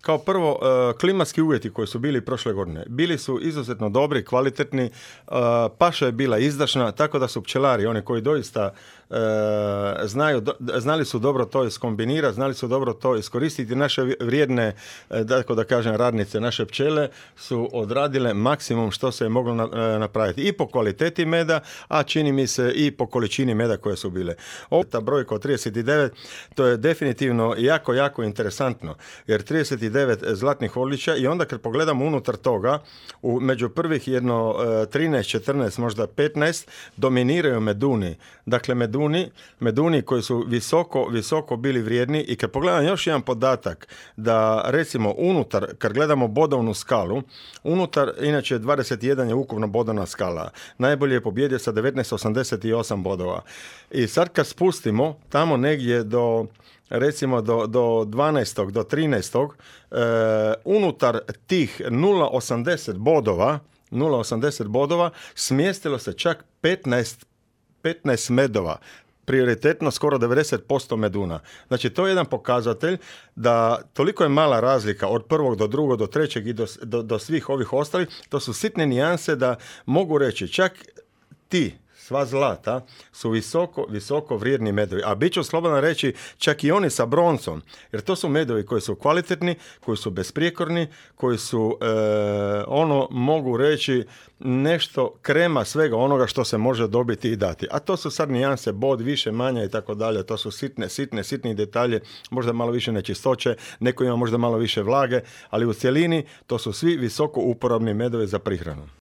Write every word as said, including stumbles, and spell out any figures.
Kao prvo, uh, klimatski uvjeti koji su bili prošle godine, bili su izuzetno dobri, kvalitetni, uh, paša je bila izdašna, tako da su pčelari, oni koji doista uh, znaju, do, znali su dobro to iskombinirati, znali su dobro to iskoristiti. Naše vrijedne, tako da kažem, radnice, naše pčele su odradile maksimum što se je moglo na, napraviti. I po kvaliteti meda, a čini mi se i po količini meda koje su bile. Ovo, ta brojka od trideset devet, to je definitivno jako, jako interesantno, jer trideset devet zlatnih odličja i onda kad pogledamo unutar toga, u, među prvih jedno trinaest, četrnaest, možda petnaest, dominiraju meduni. Dakle, meduni, meduni koji su visoko, visoko bili vrijedni i kad pogledam još jedan podatak, da recimo unutar, kad gledamo bodovnu skalu, unutar, inače dvadeset jedan je ukupno bodovna skala, najbolje je pobjedio sa devetnaest osamdeset osam bodova. I sad kad spustimo tamo negdje do recimo do, do dvanaestog, do trinaestog, e, unutar tih nula zarez osamdeset bodova, nula zarez osamdeset bodova, smjestilo se čak petnaest, petnaest medova, prioritetno skoro devedeset posto meduna. Znači, to je jedan pokazatelj da toliko je mala razlika od prvog do drugog, do trećeg i do, do, do svih ovih ostalih, to su sitne nijanse da mogu reći čak ti sva zlata su visoko, visoko vrijedni medovi. A bit ću slobodan reći čak i oni sa broncom, jer to su medovi koji su kvalitetni, koji su besprijekorni, koji su, e, ono, mogu reći, nešto krema svega onoga što se može dobiti i dati. A to su sad nijanse, bod, više, manja i tako dalje. To su sitne, sitne, sitni detalje, možda malo više nečistoće, neko ima možda malo više vlage, ali u cjelini to su svi visoko uporabni medovi za prihranu.